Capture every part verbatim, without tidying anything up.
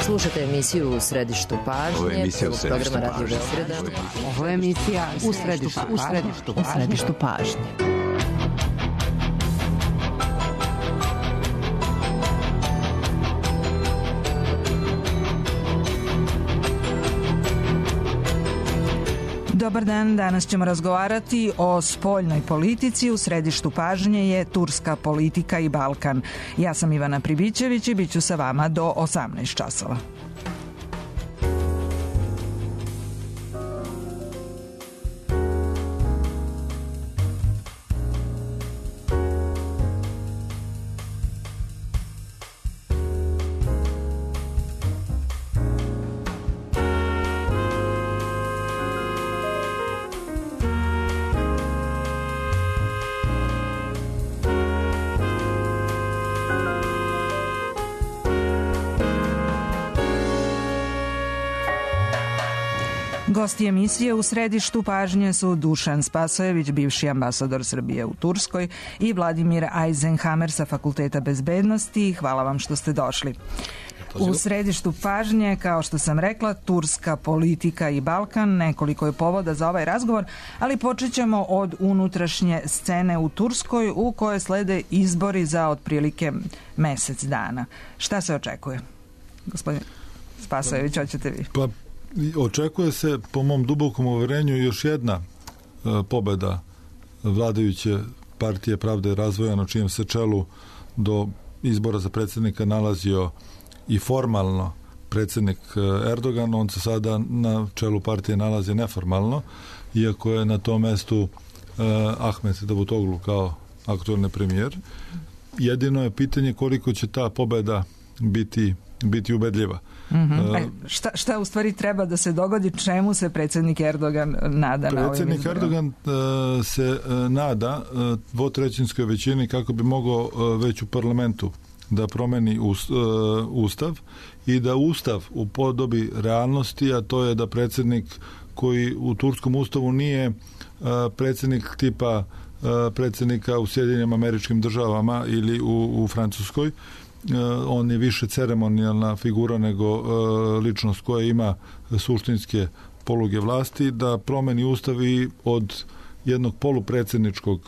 Slušate emisiju U središtu pažnje. Ovo je emisija U središtu pažnje. Ovo je emisija U središtu pažnje. U središtu pažnje. Dobar dan, danas ćemo razgovarati o spoljnoj politici. U središtu pažnje je turska politika i Balkan. Ja sam Ivana Pribićević i bit ću sa vama do osamnaest časova. Gosti emisije U središtu pažnje su Dušan Spasojević, bivši ambasador Srbije u Turskoj, i Vladimir Eisenhammer sa Fakulteta bezbednosti. Hvala vam što ste došli. U središtu pažnje, kao što sam rekla, turska politika i Balkan. Nekoliko je povoda za ovaj razgovor, ali počet ćemo od unutrašnje scene u Turskoj, u kojoj slede izbori za otprilike mesec dana. Šta se očekuje? Gospodin Spasojević, hoćete vi? Pa, očekuje se, po mom dubokom uverenju, još jedna e, pobeda vladajuće partije Pravde i razvoja, na čijem se čelu do izbora za predsjednika nalazio i formalno predsjednik Erdogan. On se sada na čelu partije nalazi neformalno, iako je na tom mestu e, Ahmet Davutoglu kao aktualni premijer. Jedino je pitanje koliko će ta pobeda biti biti ubedljiva. Mm-hmm. E, šta, šta u stvari treba da se dogodi, čemu se predsjednik Erdogan nada na ovim izborima? Predsjednik Erdogan uh, se uh, nada uh, dvotrećinskoj većini kako bi mogao uh, već u parlamentu da promeni us, uh, ustav i da ustav upodobi realnosti, a to je da predsjednik koji u turskom ustavu nije uh, predsjednik tipa uh, predsjednika u Sjedinjenim Američkim Državama ili u, u Francuskoj. On je više ceremonijalna figura nego uh, ličnost koja ima suštinske poluge vlasti, da promeni ustav i od jednog polupredsjedničkog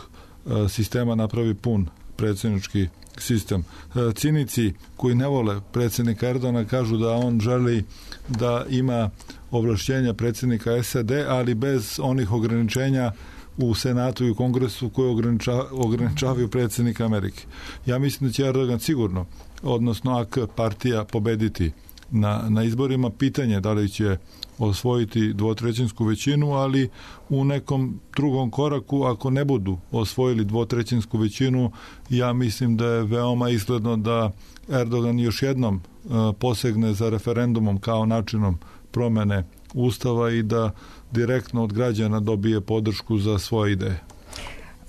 uh, sistema napravi pun predsjednički sistem. Uh, cinici koji ne vole predsjednika Erdogana kažu da on želi da ima ovlašćenja predsjednika S A D, ali bez onih ograničenja u Senatu i u Kongresu koje ograniča, ograničavaju predsjednika Amerike. Ja mislim da će Erdogan sigurno, odnosno A K partija, pobediti na, na izborima. Pitanje da li će osvojiti dvotrećinsku većinu, ali u nekom drugom koraku, ako ne budu osvojili dvotrećinsku većinu, ja mislim da je veoma izgledno da Erdogan još jednom uh, posegne za referendumom kao načinom promene ustava i da direktno od građana dobije podršku za svoje ideje.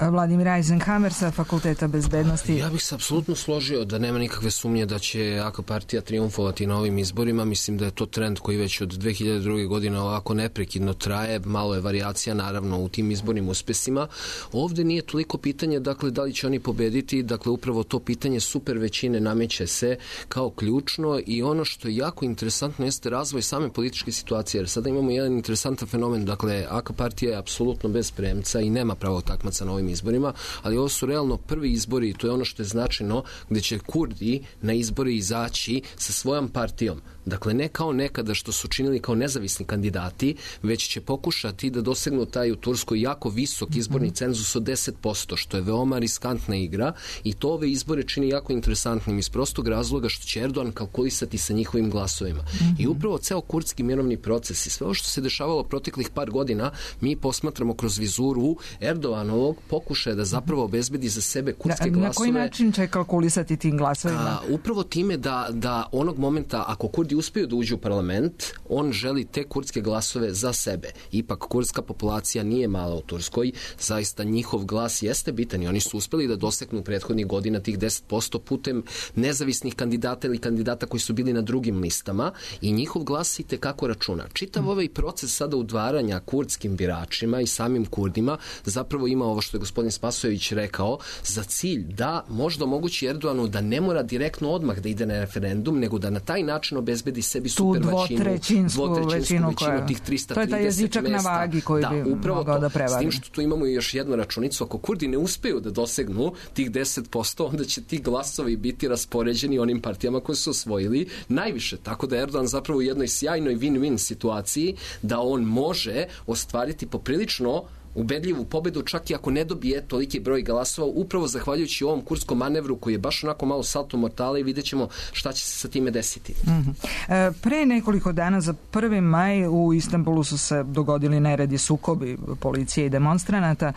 Vladimir Eisenhammer sa Fakulteta bezbednosti. Ja bih se apsolutno složio da nema nikakve sumnje da će A K partija triumfovati na ovim izborima. Mislim da je to trend koji već od dve hiljade druge. godine ovako neprekidno traje. Malo je varijacija naravno u tim izbornim uspesima. Ovde nije toliko pitanje dakle da li će oni pobediti, dakle upravo to pitanje super većine nameće se kao ključno i ono što je jako interesantno jeste razvoj same političke situacije, jer sada imamo jedan interesantan fenomen, dakle A K partija je apsolutno bez premca i nema pravog takmaca na ovim izborima, ali ovo su realno prvi izbori i to je ono što je značajno, gde će Kurdi na izbori izaći sa svojom partijom. Dakle, ne kao nekada što su činili kao nezavisni kandidati, već će pokušati da dosegnu taj u Turskoj jako visok izborni cenzus od deset posto, što je veoma riskantna igra i to ove izbore čini jako interesantnim iz prostog razloga što će Erdogan kalkulisati sa njihovim glasovima. Mm-hmm. I upravo ceo kurdski mirovni proces i sve ovo što se dešavalo proteklih par godina mi posmatramo kroz vizuru Erdoganovog pokušaja da zapravo obezbedi za sebe kurdske na, glasove. Na koji način će kalkulisati tim glasovima? A, upravo time da, da onog momenta, ako Kurdi uspiju da uđu u parlament, on želi te kurdske glasove za sebe. Ipak kurdska populacija nije mala u Turskoj, zaista njihov glas jeste bitan i oni su uspeli da doseknu prethodnih godina tih deset posto putem nezavisnih kandidata ili kandidata koji su bili na drugim listama i njihov glas i tekako računa. Čitav ovaj proces sada udvaranja kurdskim biračima i samim Kurdima zapravo ima ovo što je gospodin Spasojević rekao, za cilj da možda omogući Erdoganu da ne mora direktno odmah da ide na referendum, nego da na taj način obezbedi sebi super većinu, dvotrećinsku većinu, koja, tih trista trideset to je taj jezičak mesta. Na vagi koji da, bi mogao da prevari. S tim što tu imamo još jednu računicu, ako Kurdi ne uspeju da dosegnu tih deset posto, onda će ti glasovi biti raspoređeni onim partijama koje su osvojili najviše, tako da Erdogan zapravo u jednoj sjajnoj win-win situaciji da on može ostvariti poprilično ubedljivu pobedu, čak i ako ne dobije toliki broj glasova, upravo zahvaljujući ovom kurskom manevru koji je baš onako malo salto mortale i vidjet ćemo šta će se sa time desiti. Mm-hmm. E, pre nekoliko dana za prvi maj u Istanbulu su se dogodili neredi, sukobi policije i demonstranata.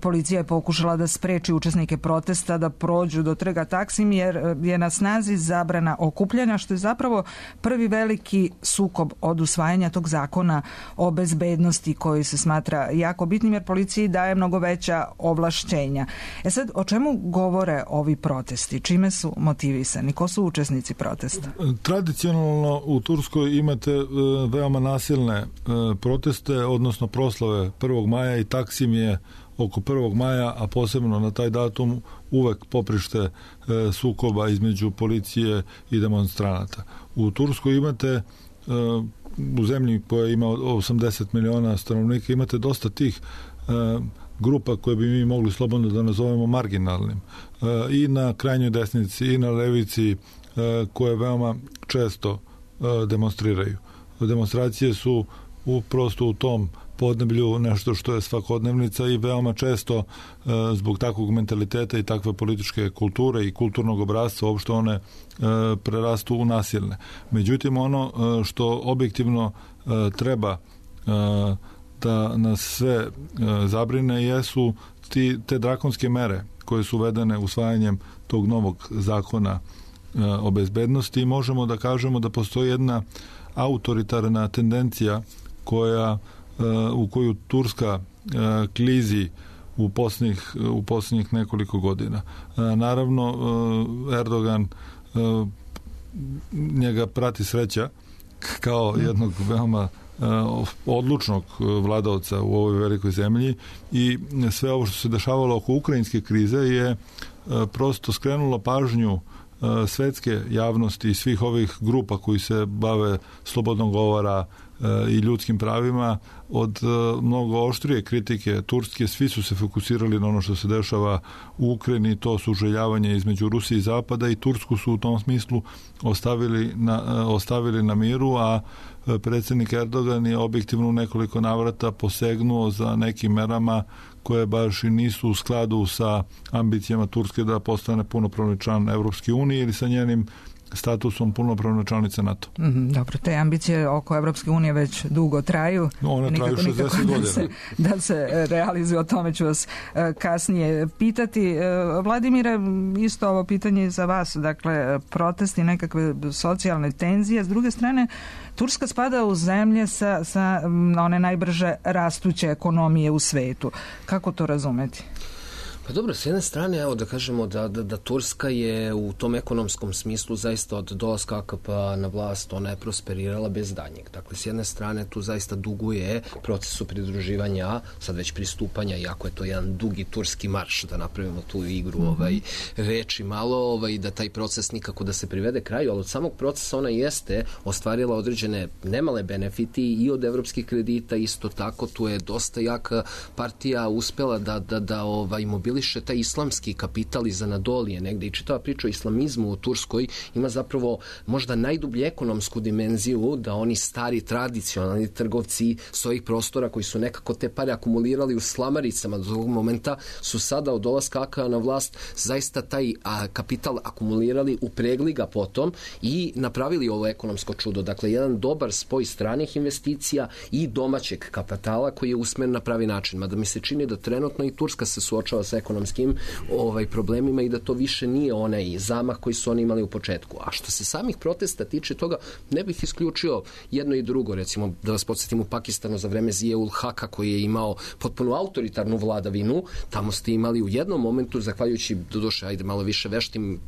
Policija je pokušala da spreči učesnike protesta da prođu do trga Taksim jer je na snazi zabrana okupljanja, što je zapravo prvi veliki sukob od usvajanja tog zakona o bezbednosti koji se smatra jako bitnim jer policiji daje mnogo veća ovlašćenja. E sad, o čemu govore ovi protesti? Čime su motivisani? Ko su učesnici protesta? Tradicionalno u Turskoj imate e, veoma nasilne e, proteste, odnosno proslave prvog maja i Taksim je oko prvog maja, a posebno na taj datum uvek poprište e, sukoba između policije i demonstranata. U Turskoj imate e, u zemlji koja ima osamdeset miliona stanovnika imate dosta tih e, grupa koje bi mi mogli slobodno da nazovemo marginalnim. E, I na krajnjoj desnici i na levici e, koje veoma često e, demonstriraju. Demonstracije su u, prosto u tom podneblju nešto što je svakodnevnica i veoma često e, zbog takvog mentaliteta i takve političke kulture i kulturnog obrasca uopšte one e, prerastu u nasilne. Međutim, ono e, što objektivno e, treba e, da nas sve e, zabrine jesu ti, te drakonske mere koje su uvedene usvajanjem tog novog zakona e, o bezbednosti i možemo da kažemo da postoji jedna autoritarna tendencija koja u koju Turska klizi u posljednjih, u posljednjih nekoliko godina. Naravno, Erdogan njega prati sreća kao jednog veoma odlučnog vladavca u ovoj velikoj zemlji i sve ovo što se dešavalo oko ukrajinske krize je prosto skrenulo pažnju svetske javnosti i svih ovih grupa koji se bave slobodnog govora i ljudskim pravima od mnogo oštrije kritike Turske. Svi su se fokusirali na ono što se dešava u Ukrajini, to suželjavanje između Rusije i Zapada i Tursku su u tom smislu ostavili na, ostavili na miru, a predsjednik Erdogan je objektivno u nekoliko navrata posegnuo za nekim merama koje baš i nisu u skladu sa ambicijama Turske da postane punopravni član Evropske unije ili sa njenim statusom punopravne članice NATO. Mm, dobro, te ambicije oko Evropske unije već dugo traju. No, one traju šezdeset godina. Da se, da se realizuju, o tome ću vas uh, kasnije pitati. Uh, Vladimire, isto ovo pitanje za vas. Dakle, protesti, nekakve socijalne tenzije. S druge strane, Turska spada u zemlje sa, sa one najbrže rastuće ekonomije u svetu. Kako to razumeti? Pa dobro, s jedne strane, evo da kažemo da, da, da Turska je u tom ekonomskom smislu zaista od dolaska A K P-a na vlast, ona je prosperirala bez danjeg. Dakle, s jedne strane tu zaista duguje procesu pridruživanja, sad već pristupanja, iako je to jedan dugi turski marš, da napravimo tu igru mm-hmm. ovaj, reči malo, ovaj, da taj proces nikako da se privede kraju, ali od samog procesa ona jeste ostvarila određene nemale benefiti i od evropskih kredita, isto tako, tu je dosta jaka partija uspela da, da, da ovaj, mobiliše taj islamski kapital iz Anadolije negde i čitava priča o islamizmu u Turskoj ima zapravo možda najdublju ekonomsku dimenziju da oni stari tradicionalni trgovci s ovih prostora koji su nekako te pare akumulirali u slamaricama do ovog momenta su sada od dolaska A K P-a na vlast zaista taj a, kapital akumulirali, upregli ga potom i napravili ovo ekonomsko čudo. Dakle, jedan dobar spoj stranih investicija i domaćeg kapitala koji je usmeren na pravi način. Mada mi se čini da trenutno i Turska se suočava sa ekonomskim ovaj, problemima i da to više nije onaj zamah koji su oni imali u početku. A što se samih protesta tiče toga, ne bih isključio jedno i drugo. Recimo, da vas podsjetim, u Pakistanu za vreme Zia-ul Haka koji je imao potpuno autoritarnu vladavinu, tamo ste imali u jednom momentu, zahvaljujući doduše, ajde malo više veštim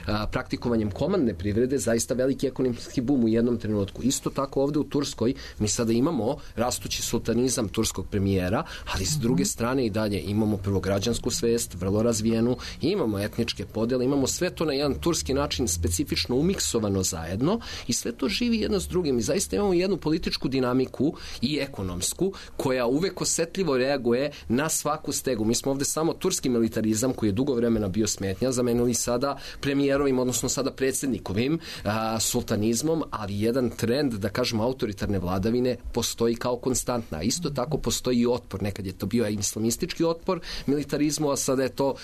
a, praktikovanjem komandne privrede, zaista veliki ekonomski bum u jednom trenutku. Isto tako ovde u Turskoj mi sada imamo rastući sultanizam turskog premijera, ali s druge strane i dalje imamo prvo građansku svest, vrlo razvijenu, imamo etničke podele, imamo sve to na jedan turski način specifično umiksovano zajedno i sve to živi jedno s drugim i zaista imamo jednu političku dinamiku i ekonomsku koja uvek osetljivo reaguje na svaku stegu. Mi smo ovde samo turski militarizam koji je dugo vremena bio smetnja, zamenili sada premijerovim, odnosno sada predsjednikovim a, sultanizmom, ali jedan trend, da kažemo, autoritarne vladavine postoji kao konstantna. Isto tako postoji i otpor. Nekad je to bio islamistički otpor militarizmu, a sada je to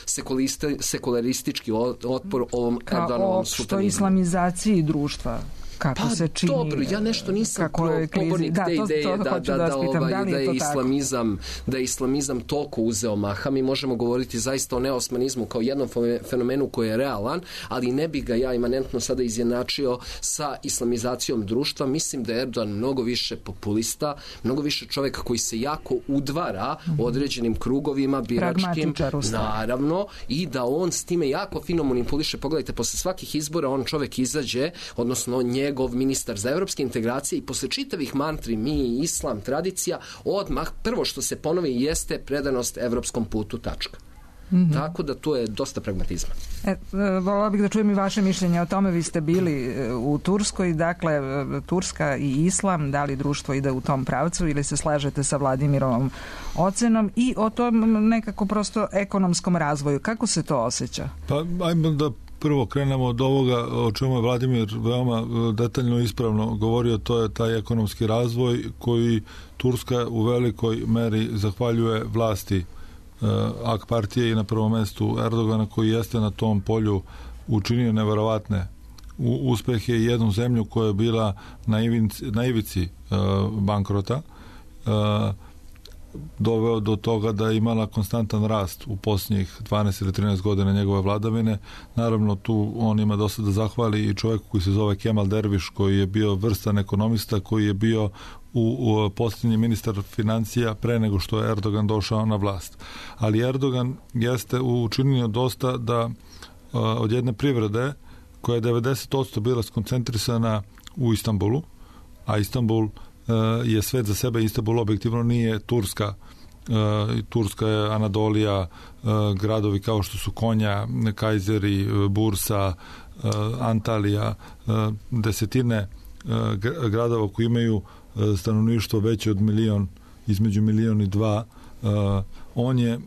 sekularistički otpor ovom Erdoganovom sultanizmu. Kao opšto islamizaciji društva. Kako pa se čini, dobro, ja nešto nisam pobornik da, te ideje to, to da, da, da, ovaj, da, da, je islamizam, da je islamizam toliko uzeo maha. Mi možemo govoriti zaista o neosmanizmu kao jednom fenomenu koji je realan, ali ne bi ga ja imanentno sada izjednačio sa islamizacijom društva. Mislim da je Erdogan mnogo više populista, mnogo više čovjeka koji se jako udvara mm-hmm. određenim krugovima biračkim, naravno, i da on s time jako fino manipuliše. Pogledajte, posle svakih izbora on čovjek izađe, odnosno nje njegov ministar za evropske integracije i posle čitavih mantri mi, islam, tradicija, odmah prvo što se ponovi jeste predanost evropskom putu, tačka. Mm-hmm. Tako da to je dosta pragmatizma. E, voljela bih da čujem i vaše mišljenje o tome. Vi ste bili u Turskoj, dakle Turska i islam, da li društvo ide u tom pravcu ili se slažete sa Vladimirovom ocenom i o tom nekako prosto ekonomskom razvoju. Kako se to osjeća? Pa ajmo da prvo krenemo od ovoga o čemu je Vladimir veoma detaljno i ispravno govorio, to je taj ekonomski razvoj koji Turska u velikoj meri zahvaljuje vlasti uh, A K partije i na prvom mestu Erdogana koji jeste na tom polju učinio neverovatne uspehe i jednu zemlju koja je bila na ivici, na ivici uh, bankrota uh, doveo do toga da je imala konstantan rast u posljednjih dvanaest ili trinaest godina njegove vladavine. Naravno, tu on ima dosta da zahvali i čovjek koji se zove Kemal Derviš, koji je bio vrstan ekonomista, koji je bio u, u posljednji ministar financija pre nego što je Erdogan došao na vlast. Ali Erdogan jeste učinio dosta da uh, od jedne privrede koja je devedeset posto bila skoncentrisana u Istanbulu, a Istanbul je svet za sebe, Istanbul objektivno nije Turska. Turska je Anadolija, gradovi kao što su Konja, Kajzeri, Bursa, Antalija, desetine gradova koji imaju stanovništvo veće od milion, između milion i dva. On je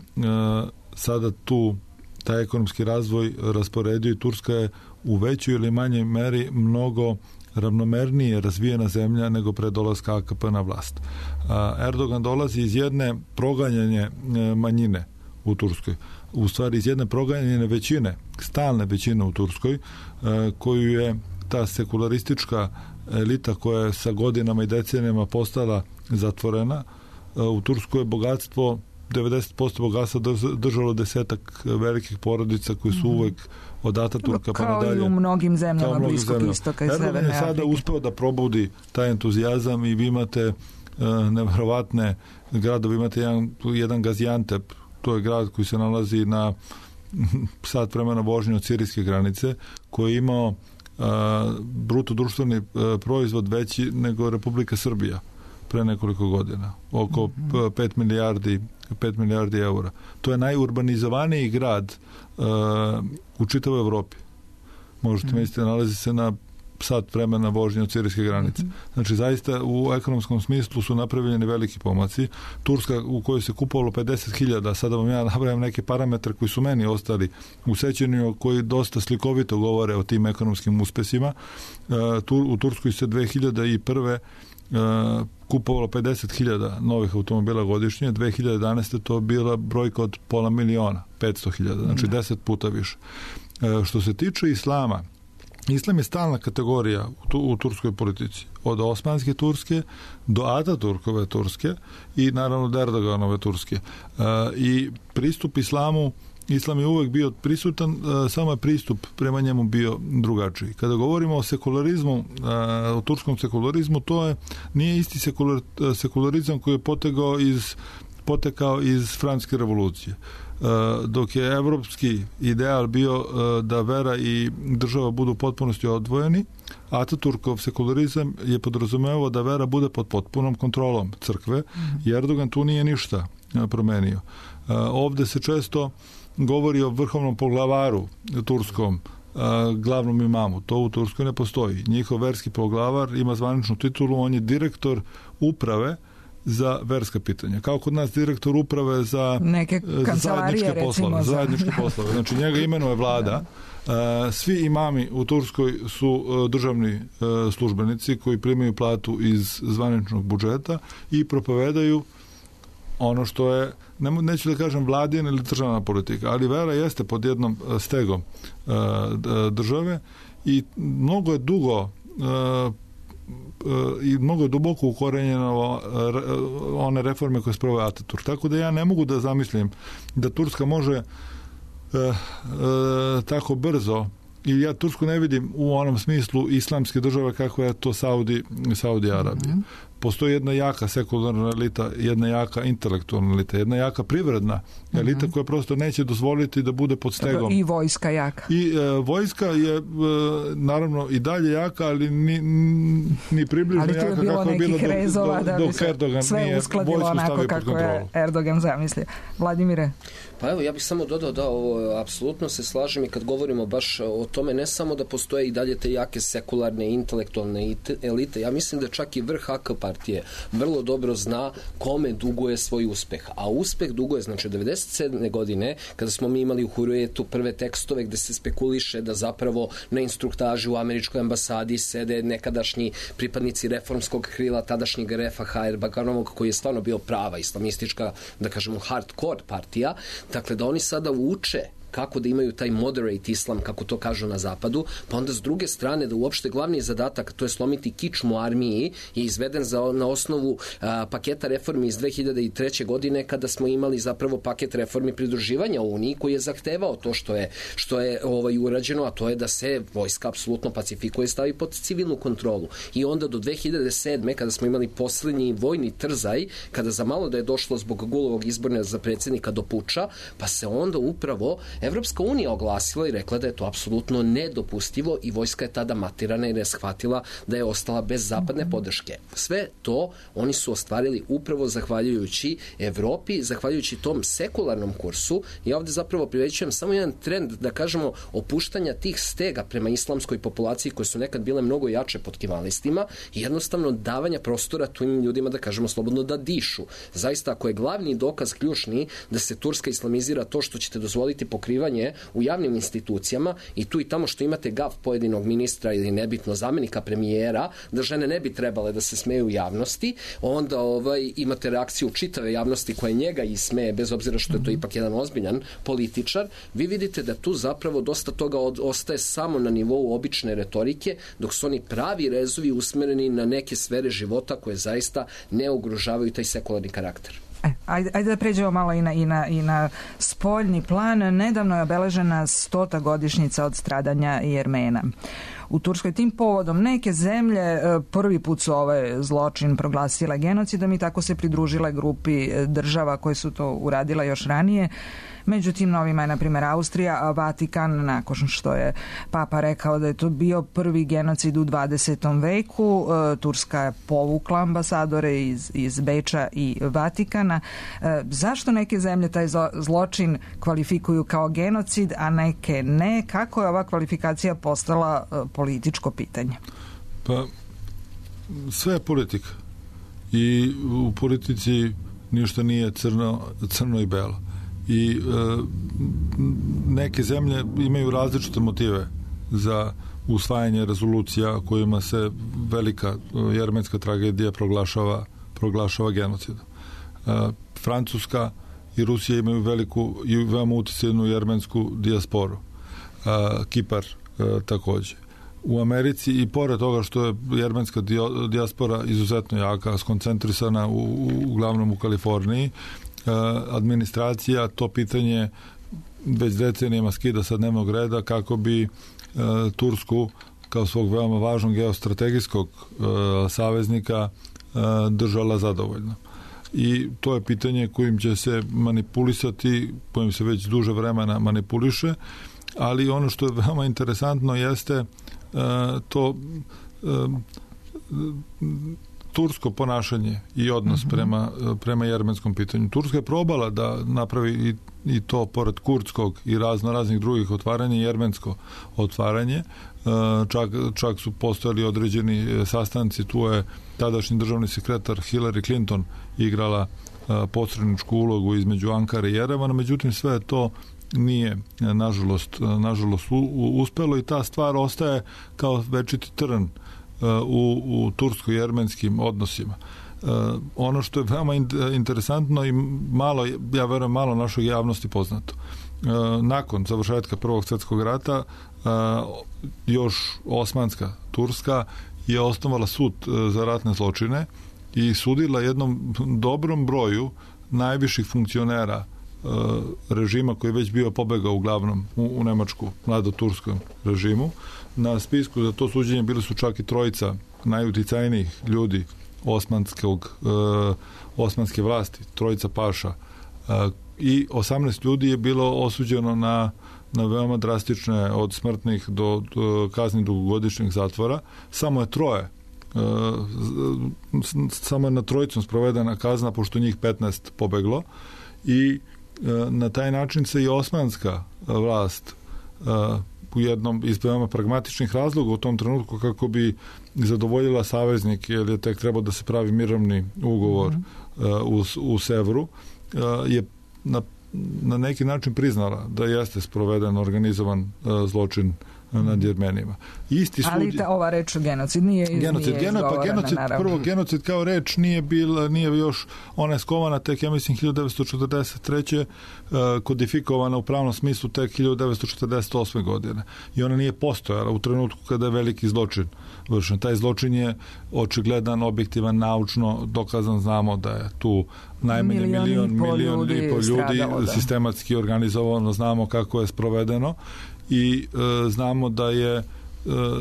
sada tu taj ekonomski razvoj rasporedio i Turska je u većoj ili manjoj meri mnogo ravnomernije razvijena zemlja nego pre dolaska A K P na vlast. Erdogan dolazi iz jedne proganjanje manjine u Turskoj, u stvari iz jedne proganjene većine, stalne većine u Turskoj, koju je ta sekularistička elita koja je sa godinama i decenijama postala zatvorena. U Turskoj je bogatstvo, devedeset posto bogatstva držalo desetak velikih porodica koji su uvek od Ataturka pa nadalje. Kao i u mnogim zemljama Bliskog istoka i Severne Afrike. Erdogan je sada uspeo da probudi taj entuzijazam i vi imate uh, nevjerovatne gradove, imate jedan, jedan Gaziantep, to je grad koji se nalazi na sat vremena vožnje od sirijske granice, koji je imao uh, bruto društveni uh, proizvod veći nego Republika Srbija pre nekoliko godina. Oko mm-hmm. pet milijardi pet milijardi eura. To je najurbanizovaniji grad uh, u čitavoj Evropi. Možete mm-hmm. misliti, nalazi se na sat vremena vožnje od sirijske granice. Mm-hmm. Znači, zaista u ekonomskom smislu su napravljeni veliki pomaci. Turska u kojoj se kupovalo pedeset hiljada, sada vam ja napravim neke parametre koji su meni ostali u sećanju, koji dosta slikovito govore o tim ekonomskim uspesima. Uh, tu, u Turskoj se dve hiljade prve Uh, kupovalo pedeset hiljada novih automobila godišnje, dve hiljade jedanaeste to bila brojka od pola miliona, petsto hiljada, znači deset puta više. Uh, što se tiče islama, Islam je stalna kategorija u, tu, u turskoj politici. Od Osmanske Turske do Ataturkove Turske i naravno do Erdoganove Turske. Uh, I pristup islamu, islam je uvek bio prisutan, uh, samo je pristup prema njemu bio drugačiji. Kada govorimo o sekularizmu, uh, o turskom sekularizmu, to je, nije isti sekular, sekularizam koji je potegao iz, potekao iz Francuske revolucije. Uh, dok je evropski ideal bio uh, da vera i država budu u potpunosti odvojeni, Ataturkov sekularizam je podrazumevao da vera bude pod potpunom kontrolom crkve, i Erdogan tu nije ništa promenio. Uh, ovde se često govori o vrhovnom poglavaru turskom, uh, glavnom imamu. To u Turskoj ne postoji. Njihov verski poglavar ima zvaničnu titulu, on je direktor uprave za verska pitanja. Kao kod nas direktor uprave za, neke za zajedničke poslove. Za... Zajedničke poslove. Znači njega imenuje vlada. Svi imami u Turskoj su državni službenici koji primaju platu iz zvaničnog budžeta i propovedaju ono što je, ne, neću da kažem vladina ili državna politika, ali vera jeste pod jednom stegom države i mnogo je dugo i mnogo je duboko ukorenjeno one reforme koje sprovode Ataturk. Tako da ja ne mogu da zamislim da Turska može e, e, tako brzo, i ja Tursku ne vidim u onom smislu islamske države kako je to Saudi, Saudi Arabija. Mm-hmm. Postoji jedna jaka sekularna elita, jedna jaka intelektualna elita, jedna jaka privredna elita mm-hmm. koja prosto neće dozvoliti da bude pod stegom. I vojska jaka. I e, vojska je e, naravno i dalje jaka, ali ni, ni približno jaka kako je bilo dok, rezova, do, dok Erdogan nije vojsku stavio pod kontrolu. Je Erdogan zamislio. Vladimire? Pa evo, ja bih samo dodao da ovo, apsolutno se slažem, i kad govorimo baš o tome, ne samo da postoje i dalje te jake sekularne, intelektualne elite, ja mislim da čak i vrh A K partije vrlo dobro zna kome duguje svoj uspeh. A uspeh duguje, znači od devedeset sedme godine, kada smo mi imali u Hurriyetu prve tekstove gde se spekuliše da zapravo na instruktaži u američkoj ambasadi sede nekadašnji pripadnici reformskog krila tadašnjeg Refaha Erbakanovog, koji je stvarno bio prava islamistička, da kažemo hardcore partija. Dakle, da oni sada uče kako da imaju taj moderate islam, kako to kažu na zapadu, pa onda s druge strane da uopšte glavni zadatak, to je slomiti kičmu armiji, je izveden za, na osnovu a, paketa reformi iz dve hiljade treće. godine, kada smo imali zapravo paket reformi pridruživanja Uniji, koji je zahtevao to što je, što je ovaj, urađeno, a to je da se vojska apsolutno pacifikuje i stavi pod civilnu kontrolu. I onda do dve hiljade sedme. kada smo imali poslednji vojni trzaj, kada za malo da je došlo zbog Gulovog izborna za predsjednika do puča, pa se onda upravo Evropska unija oglasila i rekla da je to apsolutno nedopustivo i vojska je tada matirana jer je shvatila da je ostala bez zapadne podrške. Sve to oni su ostvarili upravo zahvaljujući Evropi, zahvaljujući tom sekularnom kursu. I ovde zapravo privećujem samo jedan trend, da kažemo, opuštanja tih stega prema islamskoj populaciji koje su nekad bile mnogo jače pod kemalistima i jednostavno davanja prostora tim ljudima, da kažemo slobodno, da dišu. Zaista, ako je glavni dokaz ključni da se Turska islamizira to što ćete dozvoliti pokrivanje u javnim institucijama i tu i tamo što imate gaf pojedinog ministra ili nebitno zamenika premijera, da žene ne bi trebale da se smeju u javnosti, onda ovaj, imate reakciju čitave javnosti koja njega ismeje, bez obzira što je to ipak jedan ozbiljan političar. Vi vidite da tu zapravo dosta toga od, ostaje samo na nivou obične retorike, dok su oni pravi rezovi usmereni na neke sfere života koje zaista ne ugrožavaju taj sekularni karakter. E, ajde, ajde da pređemo malo i na, i, na, i na spoljni plan. Nedavno je obeležena stota godišnjica od stradanja Jermena u Turskoj. Tim povodom neke zemlje prvi put su ovaj zločin proglasile genocidom i tako se pridružile grupi država koje su to uradile još ranije. Međutim, novima je, na primjer, Austrija, a Vatikan, nakon što je Papa rekao da je to bio prvi genocid u dvadesetom veku, Turska je povukla ambasadore iz, iz Beča i Vatikana. Zašto neke zemlje taj zločin kvalifikuju kao genocid, a neke ne? Kako je ova kvalifikacija postala političko pitanje? Pa, sve je politika. I u politici ništa nije crno, crno i belo. I e, neke zemlje imaju različite motive za usvajanje rezolucija kojima se velika jermenska tragedija proglašava, proglašava genocidom. E, Francuska i Rusija imaju veliku i veoma uticajnu jermensku dijasporu. E, Kipar e, takođe. u Americi i pored toga što je jermenska dijaspora izuzetno jaka, skoncentrisana u, uglavnom u Kaliforniji, administracija to pitanje već decenijama skida sa dnevnog reda kako bi Tursku kao svog veoma važnog geostrategijskog saveznika držala zadovoljno. I to je pitanje kojim će se manipulisati, kojim se već duže vremena manipuliše, ali ono što je veoma interesantno jeste uh, to uh, tursko ponašanje i odnos mm-hmm. prema, prema jermenskom pitanju. Turska je probala da napravi i, i to pored kurdskog i razno raznih drugih otvaranja, jermensko otvaranje. Uh, čak, čak su postojali određeni sastanci, tu je tadašnji državni sekretar Hillary Clinton igrala uh, posredničku ulogu između Ankare i Jerevana, međutim sve to nije nažalost, nažalost uspelo i ta stvar ostaje kao večiti trn u, u tursko-jermenskim odnosima. Ono što je veoma interesantno i malo, ja verujem, malo našoj javnosti poznato. Nakon završetka Prvog svjetskog rata još Osmanska Turska je osnovala sud za ratne zločine i sudila jednom dobrom broju najviših funkcionera režima koji je već bio pobegao uglavnom u, u Nemačku, mladoturskom režimu. Na spisku za to suđenje bili su čak i trojica najuticajnijih ljudi osmanskog, uh, osmanske vlasti, trojica paša. Uh, I osamnaest ljudi je bilo osuđeno na, na veoma drastične od smrtnih do, do kazni dugogodišnjeg zatvora. Samo je troje uh, samo je na trojicom sprovedena kazna, pošto njih petnaest pobeglo. I na taj način se i osmanska vlast u jednom iz veoma pragmatičnih razloga u tom trenutku kako bi zadovoljila saveznik, jer je tek trebao da se pravi mirovni ugovor mm-hmm. u, u Sevru, je na, na neki način priznala da jeste sproveden organizovan zločin nad Jermenima. Isti sud... Ali ta, ova reč genocid nije, genocid, nije geno, pa genocid, naravno. Prvo, genocid kao reč nije bila, nije još, ona je skovana tek, ja mislim, hiljadu devetsto četrdeset treće Uh, kodifikovana u pravnom smislu tek hiljadu devetsto četrdeset osme godine. I ona nije postojala u trenutku kada je veliki zločin vršen. Taj zločin je očigledan, objektivan, naučno dokazan, znamo da je tu najmanje milion, milion ljudi i po ljudi sistematski organizovano, znamo kako je sprovedeno i e, znamo da je e,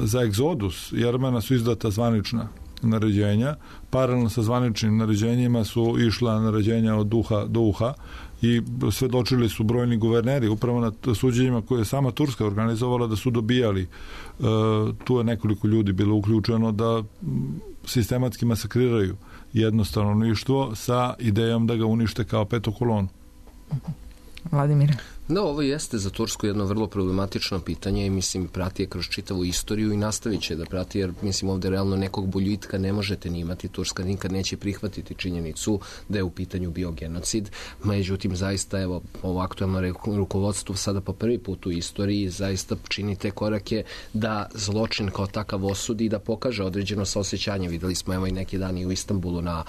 za egzodus Jermena su izdata zvanična naređenja, paralelno sa zvaničnim naređenjima su išla naređenja od uha do uha i svedočili su brojni guverneri upravo na suđenjima koje je sama Turska organizovala da su dobijali. E, tu je nekoliko ljudi bilo uključeno da sistematski masakriraju jedno stanovništvo sa idejom da ga unište kao petu kolonu. Vladimir. Da, ovo jeste za Tursku jedno vrlo problematično pitanje i mislim prati je kroz čitavu istoriju i nastavit će da prati, jer mislim ovde realno nekog boljitka ne možete ni imati. Turska nikad neće prihvatiti činjenicu da je u pitanju bio genocid. Međutim, zaista evo ovo aktuelno rukovodstvo sada po prvi put u istoriji zaista čini te korake da zločin kao takav osudi i da pokaže određeno saosećanje. Videli smo evo i neki dan i u Istanbulu na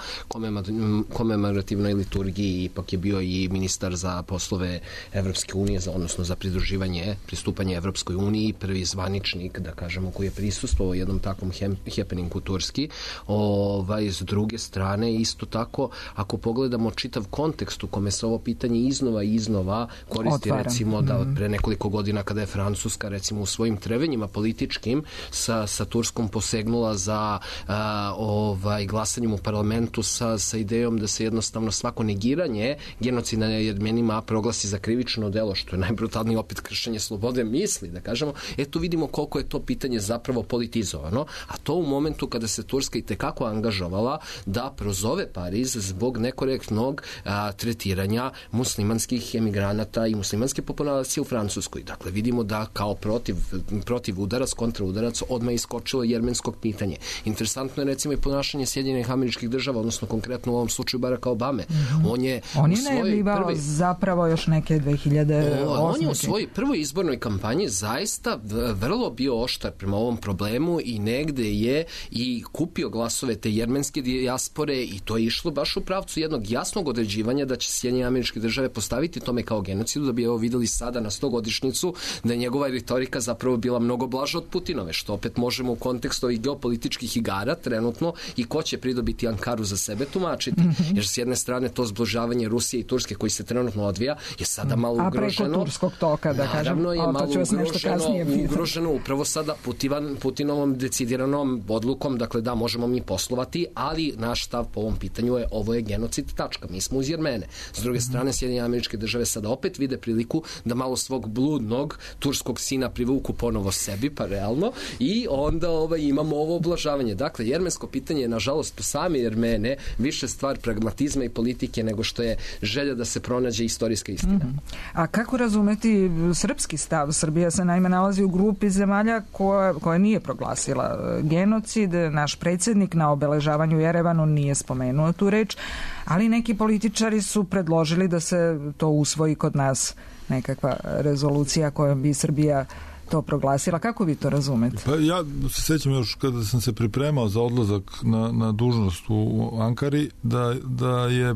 komemorativnoj liturgiji, ipak je bio i ministar za poslove Evropske unije, za, odnosno za pridruživanje, pristupanje Evropskoj uniji, prvi zvaničnik, da kažemo, koji je prisustvovao jednom takvom happeningu Turski. Ovaj, s druge strane, isto tako, ako pogledamo čitav kontekst u kome se ovo pitanje iznova i iznova koristi, Otvaram. recimo da od pre nekoliko godina kada je Francuska, recimo u svojim trevenjima političkim sa, sa Turskom posegnula za a, ovaj, glasanjem u parlamentu sa, sa idejom da se jednostavno svako negiranje genocida nad Jermenima proglasi za krivično delo, što je najbrutalnije opet kršenje slobode misli, da kažemo, eto vidimo koliko je to pitanje zapravo politizovano, a to u momentu kada se Turska i tekako angažovala da prozove Pariz zbog nekorektnog a, tretiranja muslimanskih emigranata i muslimanske populacije u Francuskoj. Dakle, vidimo da kao protiv, protiv udarac, kontraudarac odmah iskočilo jermenskog pitanje. Interesantno je recimo i ponašanje Sjedinjenih Američkih Država, odnosno konkretno u ovom slučaju Baracka Obame. Mm-hmm. On je On je najavljivao prvi... zapravo još neke dve hiljade hiljade osme. On je u svojoj prvoj izbornoj kampanji zaista vrlo bio oštar prema ovom problemu i negde je i kupio glasove te jermenske dijaspore i to je išlo baš u pravcu jednog jasnog određivanja da će Sjedinjene Američke Države postaviti tome kao genocidu, da bi evo videli sada na stogodišnjicu da je njegova retorika zapravo bila mnogo blaža od Putinove, što opet možemo u kontekstu ovih geopolitičkih igara trenutno i ko će pridobiti Ankaru za sebe tumačiti. Mm-hmm. Jer s jedne strane to zbližavanje Rusije i Turske koji se trenutno odvija je sada malo ugroženo. A preko turskog toka, da kažem. Naravno je malo ugroženo, ugroženo upravo sada Putivan, Putinovom decidiranom odlukom, dakle da možemo mi poslovati, ali naš stav po ovom pitanju je ovo je genocid, tačka. Mi smo uz Jermene. S druge strane, Sjedinjene Američke Države sada opet vide priliku da malo svog bludnog turskog sina privuku ponovo sebi, pa realno, i onda ovaj, imamo ovo oblažavanje. Dakle, jermensko pitanje je, nažalost, po sami Jermene više stvar pragmatizma i politike nego što je želja da se pronađe istorijska istina. Mm-hmm. A kako razumeti srpski stav? Srbija se naime nalazi u grupi zemalja koja, koja nije proglasila genocid. Naš predsjednik na obeležavanju u Jerevanu nije spomenuo tu reč, ali neki političari su predložili da se to usvoji kod nas, nekakva rezolucija kojom bi Srbija to proglasila. Kako vi to razumete? Pa ja se sjećam još kada sam se pripremao za odlazak na, na dužnost u Ankari, da, da je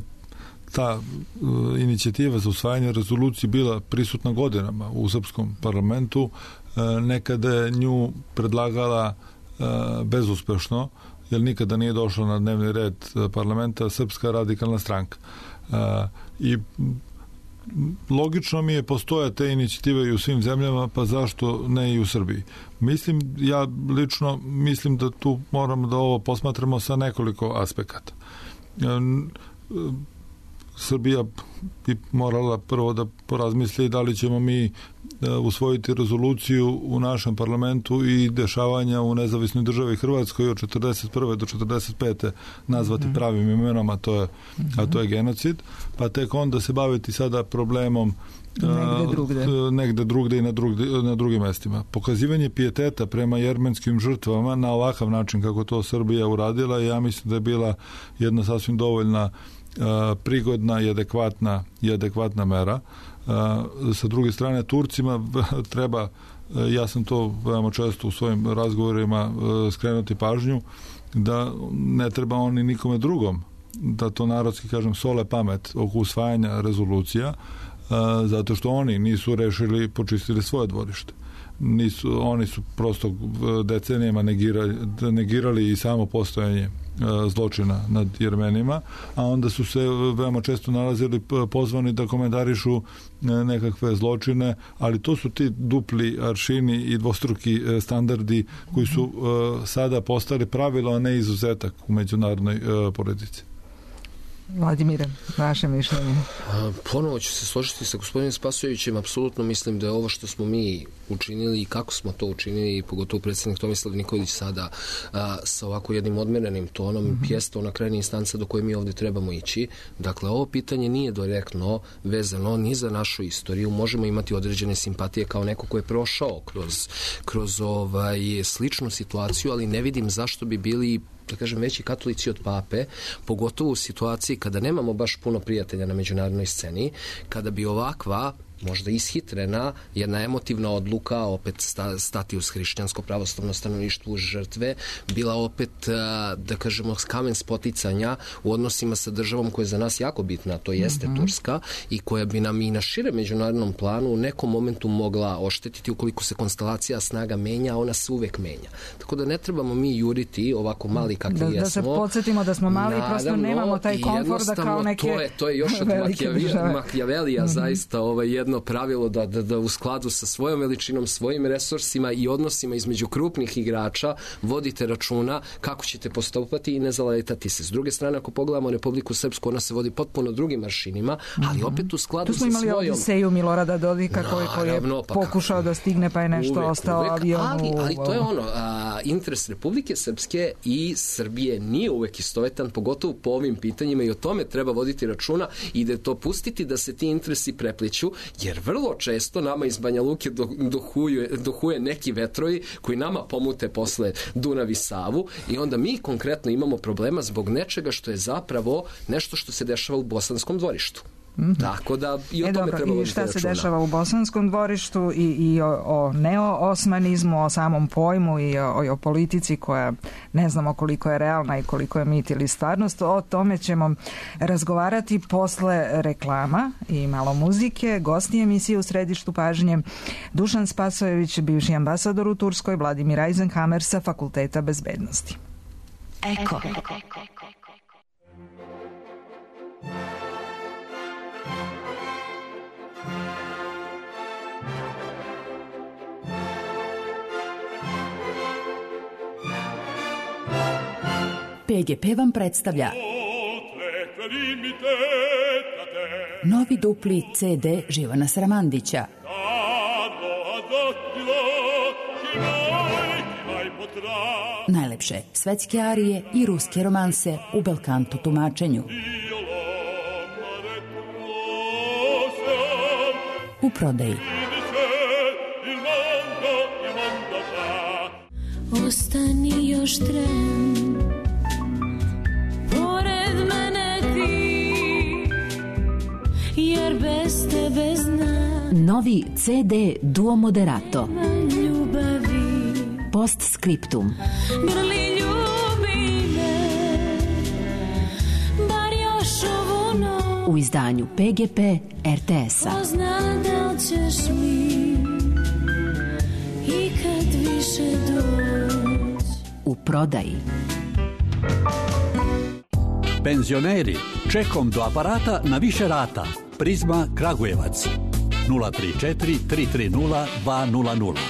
ta uh, inicijativa za usvajanje rezolucije bila prisutna godinama u srpskom parlamentu. Uh, nekada je nju predlagala uh, bezuspešno, jer nikada nije došla na dnevni red parlamenta Srpska radikalna stranka. Uh, I logično mi je postoja te inicijative i u svim zemljama, pa zašto ne i u Srbiji? Mislim, ja lično mislim da tu moramo da ovo posmatramo sa nekoliko aspekata. Srbija bi morala prvo da porazmisli da li ćemo mi usvojiti rezoluciju u našem parlamentu i dešavanja u nezavisnoj državi Hrvatskoj od četrdeset prve do četrdeset pete nazvati mm-hmm. pravim imenom, a to je, mm-hmm. a to je genocid, pa tek onda se baviti sada problemom negde drugde, uh, negde drugde i na, drugde, na drugim mestima. Pokazivanje pijeteta prema jermenskim žrtvama na ovakav način kako to Srbija uradila, ja mislim da je bila jedna sasvim dovoljna Uh, prigodna i adekvatna, i adekvatna mera. Uh, sa druge strane, Turcima treba, uh, ja sam to veoma često u svojim razgovorima uh, skrenuti pažnju, da ne treba oni nikome drugom, da to narodski kažem sole pamet oko usvajanja rezolucija, uh, zato što oni nisu rešili, počistili svoje dvorište. Nisu, oni su prosto decenijama negirali, negirali i samo postojanje zločina nad Jermenima, a onda su se veoma često nalazili pozvani da komentarišu nekakve zločine, ali to su ti dupli aršini i dvostruki standardi koji su sada postali pravilo, a ne izuzetak u međunarodnoj politici. Vladimire, vaše mišljenje? Ponovo ću se složiti sa gospodinom Spasojevićem. Apsolutno mislim da je ovo što smo mi učinili i kako smo to učinili, pogotovo predsjednik Tomislav Nikolić sada a, sa ovako jednim odmerenim tonom, mm-hmm. jeste ona krajnja instanca do koje mi ovdje trebamo ići. Dakle, ovo pitanje nije direktno vezano ni za našu istoriju. Možemo imati određene simpatije kao neko ko je prošao kroz, kroz ovaj, sličnu situaciju, ali ne vidim zašto bi bili da kažem, veći katolici od pape, pogotovo u situaciji kada nemamo baš puno prijatelja na međunarodnoj sceni, kada bi ovakva možda ishitrena, jedna emotivna odluka opet sta, stati uz hrišćansko pravoslavno stanovništvo uz žrtve, bila opet, da kažemo, kamen spoticanja u odnosima sa državom koja je za nas jako bitna, to jeste mm-hmm. Turska, i koja bi nam i na šire međunarodnom planu u nekom momentu mogla oštetiti ukoliko se konstelacija snaga menja, a ona se uvek menja. Tako da ne trebamo mi juriti ovako mali kakvi da, jesmo. Da se podsjetimo da smo mali i prosto nemamo taj komfort da kao neke to je, to je još od Machiavellija mm-hmm. zaista ovaj, jedno pravilo da, da, da u skladu sa svojom veličinom, svojim resursima i odnosima između krupnih igrača vodite računa kako ćete postupati i ne zaletati se. S druge strane, ako pogledamo Republiku Srpsku, ona se vodi potpuno drugim maršinima, ali opet u skladu sa svojom... Tu smo imali Odiseju Milorada Dodika koji, koji je pa pokušao da stigne pa je nešto uvek, ostao uvek, avionu. Ali, ali to je ono, a, interes Republike Srpske i Srbije nije uvek istovetan, pogotovo po ovim pitanjima, i o tome treba voditi računa i da to pustiti da se ti interesi prepliću, jer vrlo često nama iz Banja Luke dohuje, dohuje neki vetrovi koji nama pomute posle Dunav i Savu i onda mi konkretno imamo problema zbog nečega što je zapravo nešto što se dešava u bosanskom dvorištu. Mm. Tako da i o e, tome dobro, treba voditi i šta se računa. dešava u Bosanskom dvorištu i, i o, o neo-osmanizmu, o samom pojmu i o, i o politici koja ne znamo koliko je realna i koliko je mit ili stvarnost. O tome ćemo razgovarati posle reklama i malo muzike. Gosti emisije u središtu pažnje Dušan Spasojević, bivši ambasador u Turskoj, Vladimir Eisenhammer sa Fakulteta bezbednosti. Eko. P G P vam predstavlja novi dupli C D Živana Sramandića. Najlepše svetske arije i ruske romanse u belkanto tumačenju. U prodaji. Ostani još tren, pored mene ti, jer bez tebe znam. Novi C D Duo Moderato. Ljubavi. Postscriptum. Grli ljubi me, bar još ovu noć. U izdanju P G P R T S-a. Pozna da li ćeš mi ikad više doći. U prodaji. Penzioneri, čekom do aparata na više rata. Prizma Kragujevac. nula tri četiri tri tri nula dva nula nula.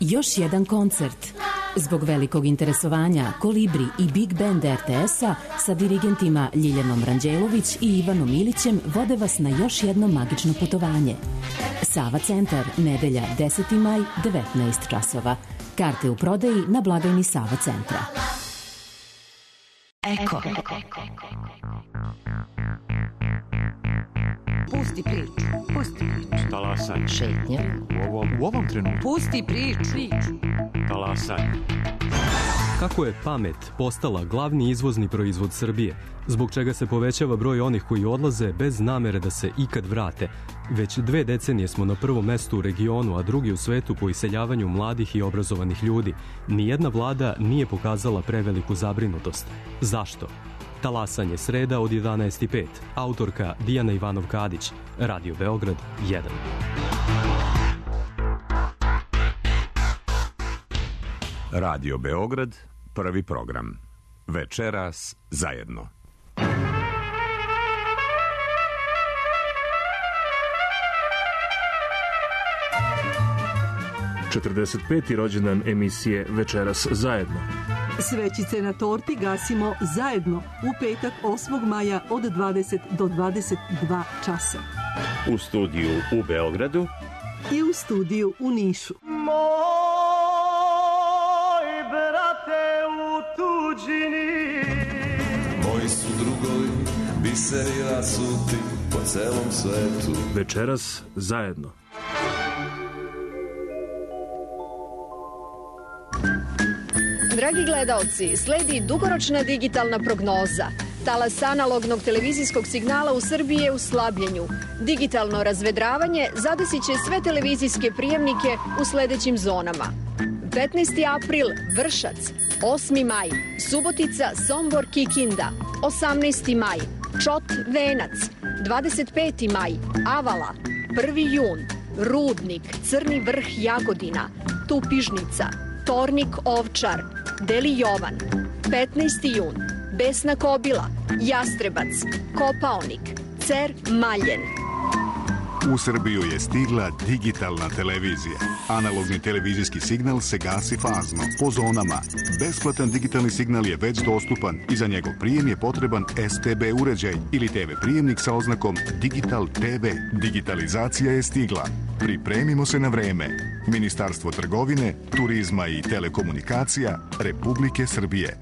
Još jedan koncert. Zbog velikog interesovanja Kolibri i Big Band R T S-a sa dirigentima Ljiljanom Ranđelović i Ivanom Ilićem vode vas na još jedno magično putovanje. Sava centar, nedelja deseti maj, devetnaest časova. Karte u prodaji na blagajni Sava centra. Eko. Pusti priču, pusti priču. Talasanje. Šetnja. U ovom, u ovom trenutku. Pusti priču. Talasanje. Kako je pamet postala glavni izvozni proizvod Srbije, zbog čega se povećava broj onih koji odlaze bez namere da se ikad vrate. Već dve decenije smo na prvom mestu u regionu, a drugi u svetu po iseljavanju mladih i obrazovanih ljudi. Nijedna vlada nije pokazala preveliku zabrinutost. Zašto? Talasanje, sreda od jedanaest i pet. Autorka Dijana Ivanov-Kadić. Radio Beograd jedan. Radio Beograd, prvi program. Večeras zajedno. četrdeset peti rođendan emisije Večeras zajedno. Svećice na torti gasimo zajedno u petak osmog maja od dvadeset do dvadeset dva časa. U studiju u Beogradu i u studiju u Nišu. Moj brate u tuđini, moji su drugovi, biseri rasuti po celom svetu. Večeras zajedno. Dragi gledaoci, sledi dugoročna digitalna prognoza. Talas analognog televizijskog signala u Srbiji je u slabljenju. Digitalno razvedravanje zadesit će sve televizijske prijemnike u sledećim zonama. petnaesti april Vršac, osmi maj Subotica, Sombor, Kikinda, osamnaesti maj Čot, Venac, dvadeset peti maj Avala, prvi jun Rudnik, Crni Vrh, Jagodina, Tupižnica, Tornik, Ovčar, Deli Jovan, petnaesti jun Besna Kobila, Jastrebac, Kopaonik, Cer, Maljen. U Srbiju je stigla digitalna televizija. Analogni televizijski signal se gasi fazno, po zonama. Besplatan digitalni signal je već dostupan i za njegov prijem je potreban S T B uređaj ili T V prijemnik sa oznakom Digital T V. Digitalizacija je stigla. Pripremimo se na vreme. Ministarstvo trgovine, turizma i telekomunikacija Republike Srbije.